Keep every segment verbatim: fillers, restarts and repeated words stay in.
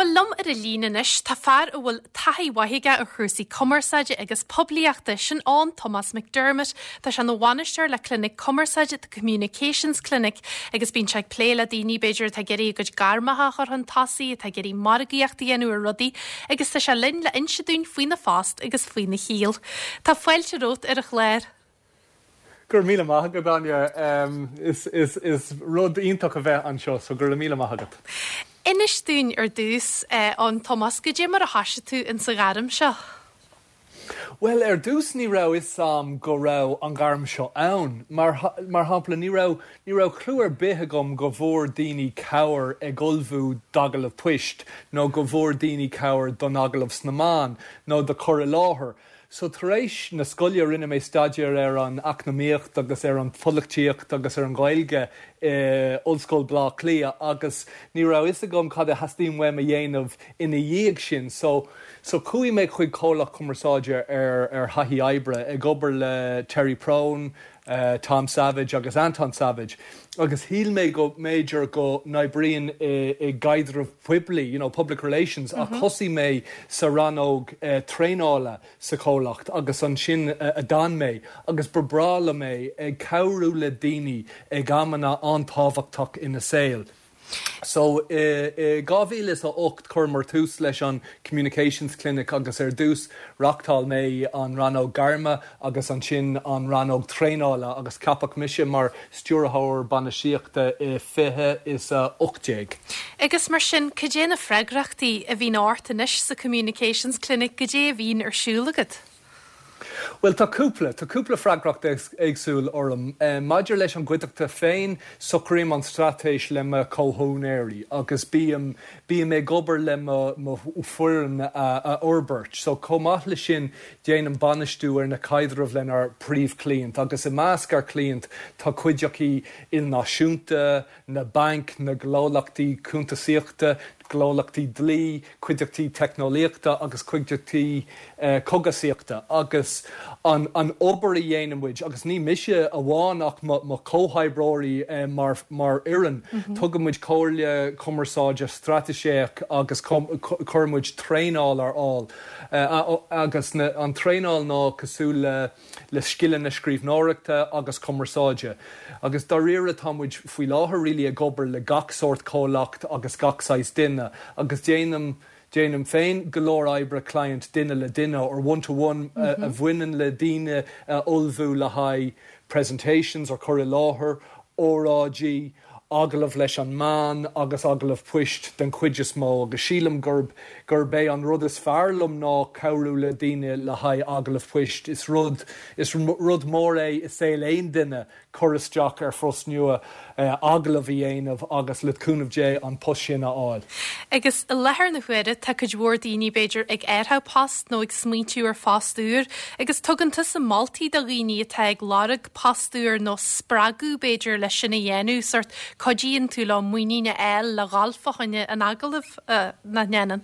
Bhuel liom ar an líne anois tá fear a bhfuil taithí mhaith aige ar chúrsaí cumarsáide agus poiblíochta sin Eoin Tomás McDermott, Tá sé ina bhainisteoir le Clinic Cumarsáide the Communications Clinic agus bíonn sé ag plé le daoine b'fhéidir atá ag iarraidh a gcuid gairmeacha a chur chun tosaigh atá ag iarraidh margaíocht a dhéanamh ar rudaí agus tá sé linn le inse dúinn faoina phost agus faoina shaol. Tá fáilte romhat ar an chlár. Gur míle maith agat Áine is, is, is rud iontach a bheith anseo, so gur míle maith agat. Inis dúinn ar dtús eh, Eoin Tomás goidé mar a thosaigh tú in sa ghairm seo. Well ar dtús ní raibh fhios a'm go raibh an ghairm seo ann, mar mar shampla ní raibh ní raibh clue ar bith agam go bhfuair daoine cabhair ag ullmhú d'agallamh poist nó go bhfuair daoine cabhair don agallamh sna meáin nó do chur i láthair. So tar éis na scoile rinne mé staidéar ar an eacnamaíocht agus ar an pholaitíocht agus ar an Ghaeilge i Ollscoil Bhleá Cliath agus ní raibh fhios agam cad a theastaíonn uaim a dhéanamh ina dhiaidh sin, so so chuaigh mé chuig comhlacht cumarsáide ar ar thaithí oibre ag obair le Terry Prone, uh, Tom Savage agus Anton Savage. agus shíl mé go mb'fhéidir go n-oibríonn i, i gcaidreamh poiblí, you know, public relations mm -hmm. ach thosaigh mé sa rannóg uh, traenála sa chomhlacht agus ansin uh, a d'fhan mé agus ba bhreá liom é ag cabhrú le daoine ag amanna an-tábhachtach ina saol. So i dhá mhíle is a ocht chuir tús leis an Communications Clinic agus ar dtús reáchtáil mé an rannóg gairme agus ansin an rannóg traenála agus ceapadh mise mar stiúrthóir bainistíochta i fiche is a ocht déag. Agus mar sin cad é na freagrachtaí a bhíonn ort anois sa Communications Clinic goidé a bhíonn ar siúl agat. Well tá cúpla tá cúpla freagracht éagsúil orm. Uh, Maidir leis an gcuideachta féin socraím an straitéis le mo chomhúinéirí agus bím bím ag obair le mo fhoireann a, a fhorbairt. So chomh maith le sin déanaim bainistiú ar na caidrimh lenár bpríomhchliaint, agus i measc ár gcliant tá cuideachtaí ilnáisiúnta, na bainc, na gnólachtaí cuntasaíochta, gnólachtaí dlí, cuideachtaí teicneolaíochta agus cuideachtaí uh, cógaisíochta agus an, an obair a dhéanaimid agus ní mise amháin ach mo chomhoibreoirí uh, mar, mar fhoireann. Mm -hmm. Tugaimid comhairle cumarsáide straitéiseach agus cuirimid traenáil ar fáil. Uh, agus na, an traenáil ná cosúil le, le scileanna scríbhneoireachta agus cumarsáide. Agus dáiríre táimid faoi láthair really ag obair le gach sórt comhlacht agus gach saghas duine agus déanaim déanaim féin go leor oibre client duine le duine or one to one mm -hmm. a bhaineann le daoine ullmhú le haghaidh presentations or cur i láthair, óráidí, agallamh leis an meán agus agallamh poist den chuid is mó agus sílim gurb gurb é an rud is fearr liom ná cabhrú le daoine le haghaidh agallamh poist is rud is rud mór é i saol aon duine cur isteach ar phost nua eh, agallamh a dhéanamh agus le cúnamh Dé an post sin a fháil. Agus i láthair na huaire tá cuid mhór daoine b'fhéidir ag iarraidh post nó ag smaointiú ar phost úr, agus tugann tusa moltaí do dhaoine atá ag lorg post úr nó spreagadh b'fhéidir leis sin a dhéanamh sórt cuidíonn tú leo muinín a fháil le dhul fá choinne an agallamh uh, nach ndéanann.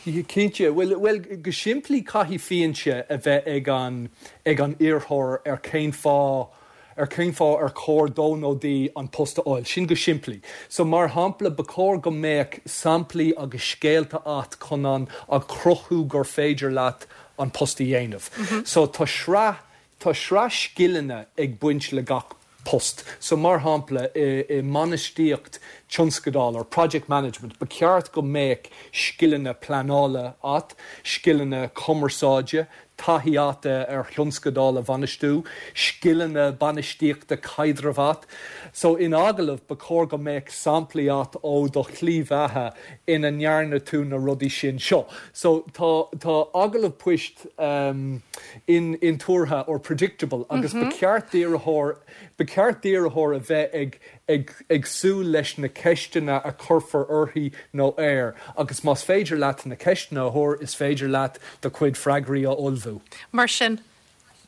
Cinnte, well, well go simplí caithfidh fianaise a bheith ag an ag an iarrthóir ar cén fáth ar cén fáth ar chóir dó nó di an post a fháil, sin go simplí. So mar shampla ba chóir go mbeadh samplaí agus scéalta agat chun an a chruthú gur féidir leat an post a dhéanamh. Mm -hmm. So tá sraith tá sraith scileanna ag baint le gach post. So mar shampla i, i mbainistíocht tionscadal or project management, ba cheart go mbeadh scileanna pleanála agat, scileanna cumarsáide, taithí agat ar thionscadal a bhainistiú, scileanna bainistíochta caidrimh agat. So in agallamh ba chóir go mbeadh samplaí agat ó do shlí bheatha ina ndearna tú na rudaí sin seo. So tá tá agallamh poist um, in intuartha or predictable agus mm -hmm. ba cheart d'iarrthóir ba cheart d'iarrthóir a bheith ag ag, ag súil leis na ceisteanna a chuirfear uirthi nó air, agus más féidir leat na ceisteanna a thuar is féidir leat do chuid freagraí a ullmhú. Mar sin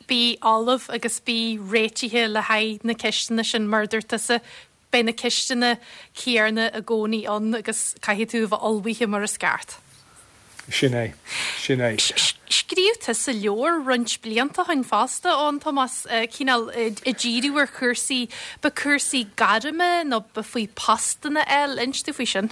bí ullamh agus bí réitithe le haghaidh na ceisteanna sin mar dúirt tusa beidh na ceisteanna céanna i gcónaí ann agus caithfidh tú bheith ullmhaithe mar is ceart. Sin é sin é. Scríobh tusa leabhar roinnt blianta ó shin fosta Eoin Tomás cineál ag díriú ar chúrsaí ba cúrsaí gairme nó ba faoi postanna eile inis dúinn faoi sin.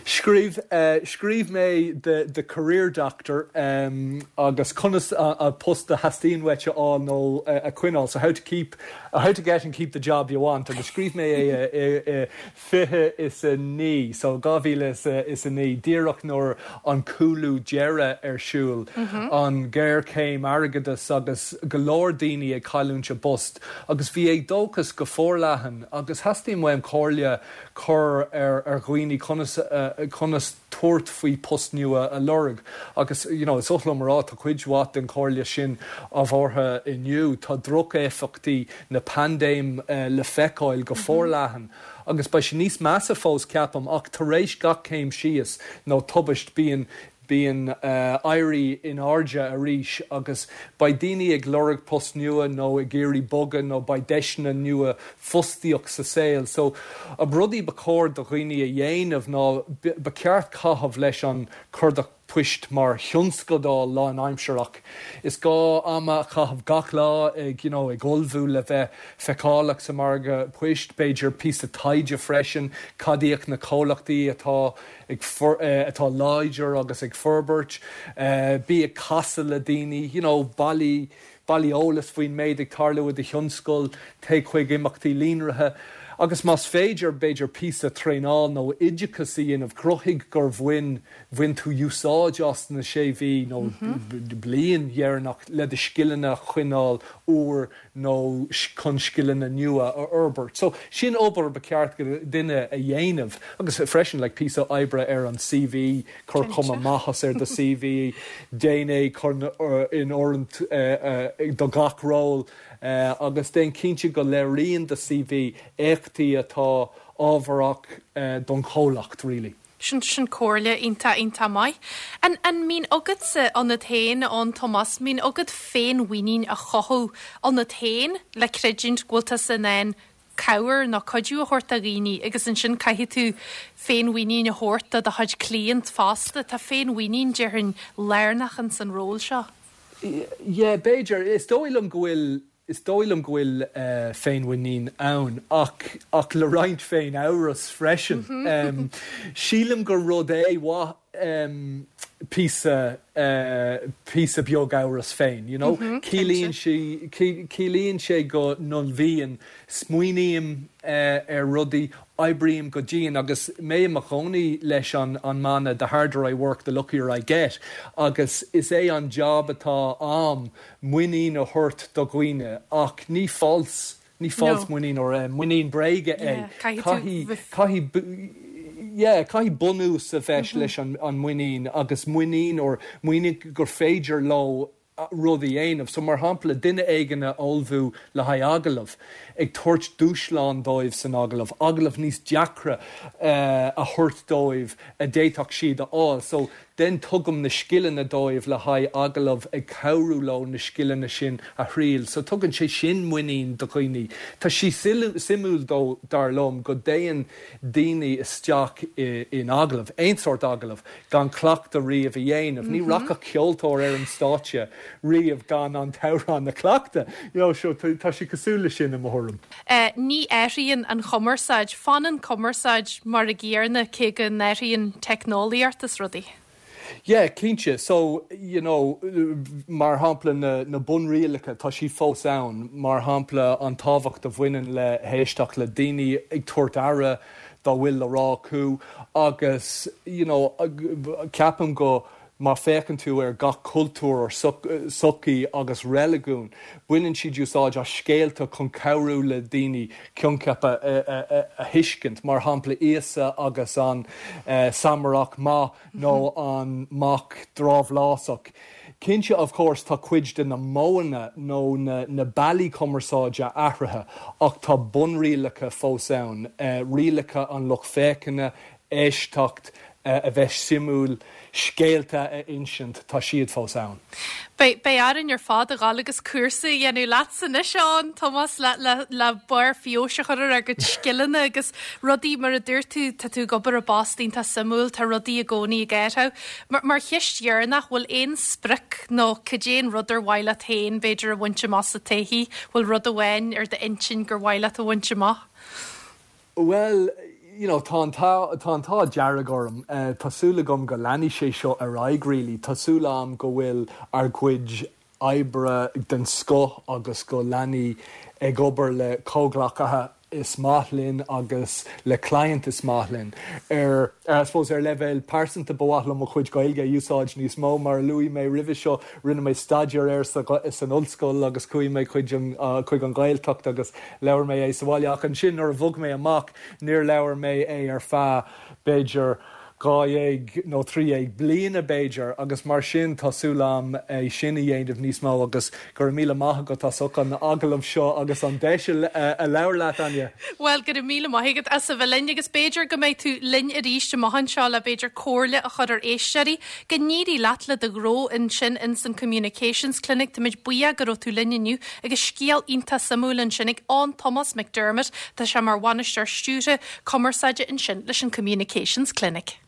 Scríobh scríobh mé the the career doctor um, agus conas a, a post a theastaíonn uait a fháil nó a, a choinneáil, so how to keep uh, how to get and keep the job you want agus scríobh mé é é fiche is a naoi so dhá mhíle is is a naoi díreach nuair an cúlú deireadh ar siúl mm -hmm. an géarchéim airgeadais agus go leor daoine ag cailliúint a bpost agus bhí éadóchas go forleathan agus theastaigh uaim comhairle chur ar ar dhaoine conas uh, conas tabhairt faoi post nua a lorg agus you know, is oth liom rá tá cuid mhaith den chomhairle sin ábhartha inniu tá drochéifeachtaí na paindéime uh, le feiceáil go mhm. forleathan. agus beidh sé níos measa fós ceapaim ach tar éis gach céim síos nó tubaist bíonn bíonn uh, éirí in airde arís agus beidh daoine ag lorg post nua nó ag iarraidh bogadh nó beidh deiseanna nua fostaíocht sa saol. So a rudaí ba chóir do dhaoine a dhéanamh ná ba cheart caitheamh leis an cuardach poist mar thionscadal lánaimsearach. Is gá am a chaitheamh gach lá ag you know, ag ullmhú le bheith feiceálach sa margadh poist b'fhéidir píosa taighde freisin cad iad na comhlachtaí atá ag uh, atá láidir agus ag forbairt, uh, bí ag casadh le daoine, you know, bailigh bailigh eolas faoin méid ag tarlú i do thionscal téigh chuig imeachtaí líonraithe. Agus más féidir b'fhéidir píosa traenáil nó oideachas a dhéanamh cruthaigh gur bhain bhain tú úsáid as na sé mhí nó mm -hmm. bliain dheireanach le do scileanna choinneáil úr nó chun scileanna nua a fhorbairt. So sin obair ba cheart duine a dhéanamh agus freisin le píosa oibre ar an CV chur cuma mhaith ar do CV déan é chun in oiriúint uh, uh, do gach ról uh, agus déan cinnte go léiríonn do CV éachtaí atá ábharach uh, don chomhlacht really. Sin sin comhairle iontach iontach maith. An an mbíonn agatsa ionat féin an Tomás mbíonn agat féinmhuinín a chothú ionat féin le creidiúint go bhfuil tú in ann cabhair nó cuidiú a thabhairt do dhaoine agus ansin caithfidh tú féinmhuinín a thabhairt do do chuid cliant fosta tá féinmhuinín déarfainn lárnach in san ról seo. Yeah, b'fhéidir is dóigh liom go bhfuil is dóigh liom go bhfuil uh, féinmhuinín ann ach ach le roinnt féinamhras freisin. Mm -hmm. um, Sílim gur rud é mhaith um, píosa uh, píosa beag amhras féin, you know? Mm -hmm, Ciallaíonn sé ciallaíonn sé go n-ullmhaím smaoiním uh, ar rudaí oibrím go dian agus mé i mo chónaí leis an an mana the harder I work the luckier I get agus is é an job atá agam muinín a thabhairt do dhaoine ach ní false ní false no. muinín or uh, muinín bréige é caithfidh yeah, caithfidh bunús a bheith mm -hmm. leis an, an muinín agus muinín or muinín gur féidir leo rudaí a dhéanamh, so mar shampla duine éigin a ullmhú le haghaidh agallamh, ag tabhairt dúshlán dóibh san agallamh, agallamh níos deacra uh, a thabhairt dóibh a d'fhéadfadh siad a fháil, so den tugaim na scileanna dóibh le haghaidh agallamh ag cabhrú leo na scileanna sin a thriail, so tugann sé sin muinín do dhaoine. Tá sé suimiúil dó dar liom go dtéann daoine isteach in agallamh, aon sórt agallamh gan cleachtadh riamh a dhéanamh, Ní mm -hmm. rachadh ceoltóir ar an stáitse riamh gan an t-amhrán a chleachtadh. You know, so tá sé cosúil le sin i mo thuairim. Uh, ní athraíonn an chumarsáid, fanann cumarsáid mar an gcéanna cé go n-athraíonn teicneolaíocht is rudaí. Yeah, cinnte so you know mar shampla na, na bunrialacha tá sí fós ann mar shampla an tábhacht a bhaineann le héisteacht le daoine ag tabhairt aire dá bhfuil le rá acu agus you know ceapaim go má féachann tú ar gach cultúr or sochaí agus reiligiún, baineann siad úsáid as scéalta chun cabhrú le daoine coincheapa a, a thuiscint, mar shampla Íosa agus an uh, Samarach maith nó an mac drabhlásach. Cinnte of course tá cuid de na modhanna nó na, na bealaí cumarsáide athraithe ach tá bunrialacha fós ann, uh, rialacha an lucht féachana, éisteacht, uh, a bheith suimiúil scéalta a insint tá siad fós ann. Beidh orainn ar fad a ghabháil agus cúrsa a dhéanamh leatsa anois an Tomás le, le, le barr feabhais a chur ar do chuid scileanna agus rudaí mar a dúirt tú tá tú ag obair i bpost iontach suimiúil tá rudaí i gcónaí ag athrú. Mar, mar cheist dheireanach bhfuil aon sprioc nó cad é an rud ar mhaith leat féin b'fhéidir a bhaint amach sa todhchaí, bhfuil rud amháin ar d'intinn gur mhaith leat a bhaint amach? Well, you know, tá tá an t-ádh dearg orm uh, Tá súil agam go leanfaidh sé seo ar aghaidh really Tá súil agam go bhfuil ár gcuid oibre den scoth agus go leanaim ag obair le comhghleacaithe is maith linn agus le client is maith linn. Ar ar I suppose ar leibhéal pearsanta ba mhaith liom mo chuid Gaeilge a úsáid níos mó mar luaigh mé roimhe seo rinne mé staidéar air sa san ollscoil agus chuaigh mé chuig an uh, chuig an Ghaeltacht agus labhair mé é sa bhaile ach ansin nuair a bhog mé amach níor labhair mé é ar feadh b'fhéidir dhá dhéag nó trí dhéag bliana b'fhéidir agus mar sin tá súil agam é sin a dhéanamh níos mó agus go raibh míle maith agat as an agallamh seo agus an deis a labhairt leat Áine. Well go raibh míle maith agat as a bheith linn agus b'fhéidir go mbeidh tú linn arís amach anseo le b'fhéidir comhairle a chur ar éisteoirí go n-éirí leat le do ghnó ansin in san Communications Clinic Táimid buíoch go raibh tú linn inniu agus scéal iontach suimiúil ansin ag Eoin Tomás McDermott Tá sé mar bhainisteoir stiúrtha cumarsáide ansin leis an Communications Clinic.